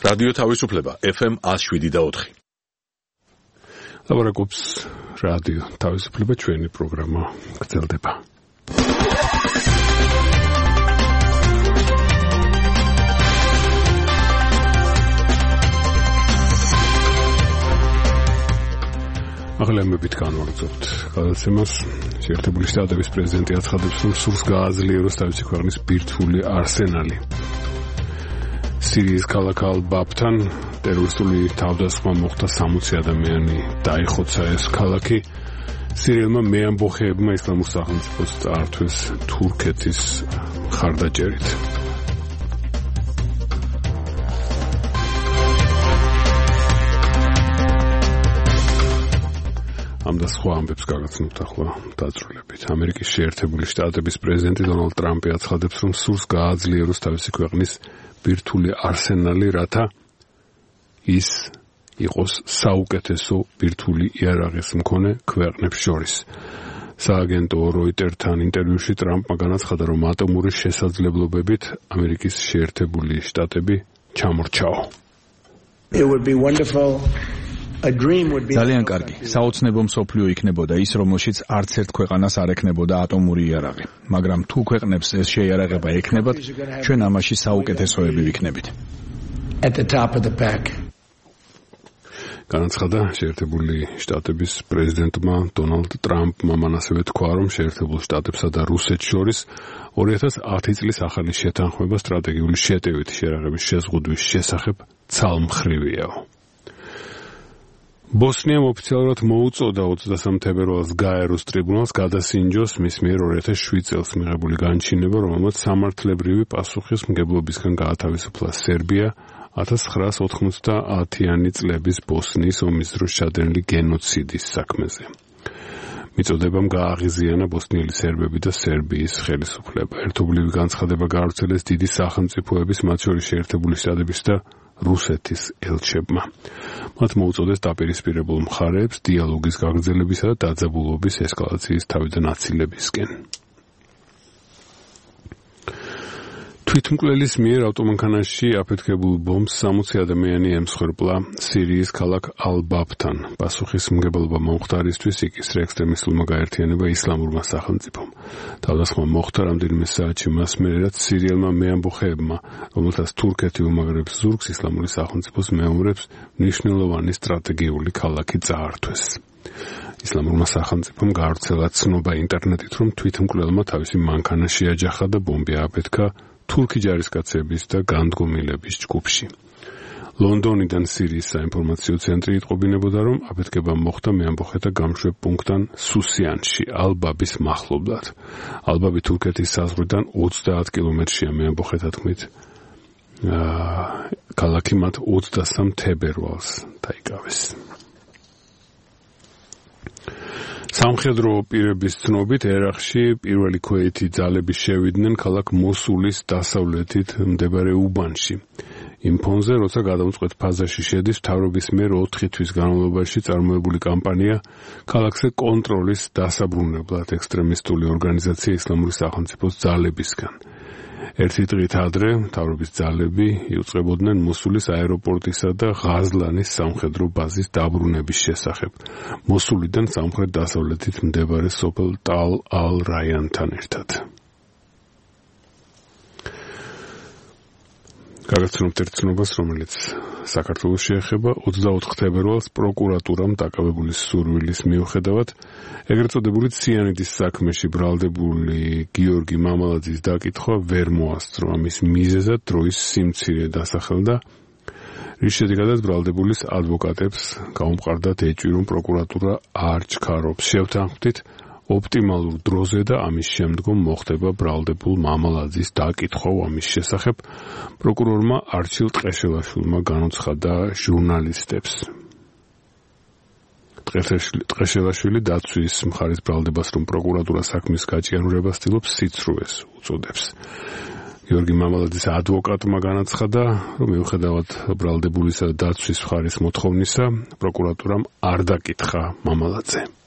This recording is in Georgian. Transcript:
რადიო თავისუფლება FM 107.4. ლაბორაკობს რადიო თავისუფლება, ჩვენი პროგრამა გრძელდება. აღლემებით განვაგრძობთ გადაცემას. შეერთებული შტატების პრეზიდენტი აცხადებს, რომ სურს გააძლიეროს თავისი ქვეყნის ბირთვული არსენალი. სირიის ქალაქ ალ-ბაბთან ტერორისტული თავდასხმა მოხდა, 60 ადამიანი დაიხოცა ეს ქალაქი. სირიელმა მეამბოხეებმა ისლამურ სახელმწიფოს წაართვეს თურქეთის მხარდაჭერით. ამ და სხვა ამბებს გაგაცნობთ ახლა დაწვრილებით. ამერიკის შეერთებული შტატების პრეზიდენტი დონალდ ტრამპი აცხადებს, რომ სურს გააძლიეროს თავისი ქვეყნის ბირთვული არსენალი, რათა ის იყოს საუკეთესო ბირთვული იარაღის მქონე ქვეყნებს შორის. სააგენტო როიტერთან ინტერვიუში ტრამპმა განაცხადა, რომ ატომური შესაძლებლობებით ამერიკის შეერთებული შტატები ჩამორჩაო. ძალიან კარგი. საოცნებო მსოფლიო იქნებოდა ის, რომელშიც არც ერთ ქვეყანას არ ექნებოდა ატომური იარაღი. მაგრამ თუ ქვეყნებს ეს შეიარაღება ექნებათ, ჩვენ ამაში საუკეთესოები ვიქნებით. განაცხადა შეერთებული შტატების პრეზიდენტმა დონალდ ტრამპმა. მან ასევე თქვა, რომ შეერთებულ შტატებსა და რუსეთს შორის 2010 წლის ახალი შეთანხმება სტრატეგიული შეტევითი შეიარაღების შეზღუდვის შესახებ ცალმხრივიაო. ბოსნიამ ოფიციალურად მოუწოდა 23 თებერვალს გაეროს ტრიბუნალს გადასინჯოს მის მიერ 2007 წელს მიღებული განჩინება, რომელმაც სამართლებრივი პასუხისმგებლობისგან გაათავისუფლა სერბია 1990-იანი წლების ბოსნიის ომის დროს ჩადენილი გენოციდის საქმეზე. მიწოდებამ გააღიზიანა ბოსნიელი სერბები და სერბიის ხელისუფლება. ერთობლივი განცხადება გაავრცელეს დიდი სახელმწიფოების, მათ შორის შეერთებული შტატების და რუსეთის ელჩებმა. მათ მოუწოდეს დაპირისპირებულ მხარეებს დიალოგის გაგრძელებისა და დაძაბულობის ესკალაციის თავიდან აცილებისკენ. თვითმკვლელის მიერ ავტომანქანაში აფეთქებულ ბომბს 60 ადამიანი ემსხვერპლა სირიის ქალაქ ალ-ბაბთან. პასუხისმგებლობა მომხდარისთვის იკისრა ექსტრემისტულმა გაერთიანება ისლამურმა სახელმწიფომ. თავდასხმა მოხდა რამდენიმე საათში მას მერე, რაც სირიელმა მეამბოხეებმა, რომელთაც თურქეთი უმაგრებს ზურგს ისლამური სახელმწიფოს მეომრებს, მნიშვნელოვანი სტრატეგიული ქალაქი წაართვეს. ისლამურმა სახელმწიფომ გაავრცელა ცნობა ინტერნეტით, რომ თვითმკვლელმა თავისი მანქანა შეაჯახა და ბომბი ააფეთქა თურქი ჯარისკაცების და განდგომილების ჯგუფში. ლონდონიდან სირიის საინფორმაციო ცენტრი იტყობინებოდა, რომ აფეთქება მოხდა მეამბოხეთა გამშვებ პუნქტთან სუსიანში, ალ-ბაბის მახლობლად. ალ-ბაბი თურქეთის საზღვრიდან 30 კილომეტრშია მეამბოხეთა თქმით. ქალაქი მათ 23 თებერვალს დაიკავეს. სამხედრო პირების ცნობით ერაყში პირველი ქვეითი ძალები შევიდნენ ქალაქ მოსულის დასავლეთით მდებარე უბანში. იმ ფონზე, როცა გადამწყვეტ ფაზაში შედის მთავრობის მიერ 4 თვის განმავლობაში წარმოებული კამპანია ქალაქზე კონტროლის დასაბრუნებლად ექსტრემისტული ორგანიზაცია ისლამური სახელმწიფოს ძალებისგან. ერთი დღით ადრე მთავრობის ძალები იუწყებოდნენ მოსულის აეროპორტისა და ღაზლანის სამხედრო ბაზის დაბრუნების შესახებ. მოსულიდან სამხრეთ დასავლეთით მდებარე სოფელ ტალ ალ-რაიანთან ერთად. გაგაცნობთ ერთ ცნობას, რომელიც საქართველოს შეეხება. 24 თებერვალს პროკურატურამ დაკავებული სურვილის მიუხედავად ეგრეთ წოდებული ციანიდის საქმეში ბრალდებული გიორგი მამალაძის დაკითხვა ვერ მოასწრო. ამის მიზეზად დროის სიმცირე დასახელდა, რის შედეგადაც ბრალდებულის ადვოკატებს გაუმყარდათ ეჭვი, რომ პროკურატურა არ ჩქარობს. შევთანხმდით, ოპტიმალურ დროზე და ამის შემდგომ მოხდება ბრალდებულ მამალაძის დაკითხვა ამის შესახებ. პროკურორმა არჩილ ტყეშელაშვილმა განუცხადა ჟურნალისტებს. ტყეშელაშვილი დაცვის მხარის ბრალდებას, რომ პროკურატურა საქმის გაჭიანურებას ცდილობს, სიცრუეს უწოდებს. გიორგი მამალაძის ადვოკატმა განაცხადა, რომ მიუხედავად ბრალდებულისა და დაცვის მხარის მოთხოვნისა, პროკურატურამ არ დაკითხა მამალაძე.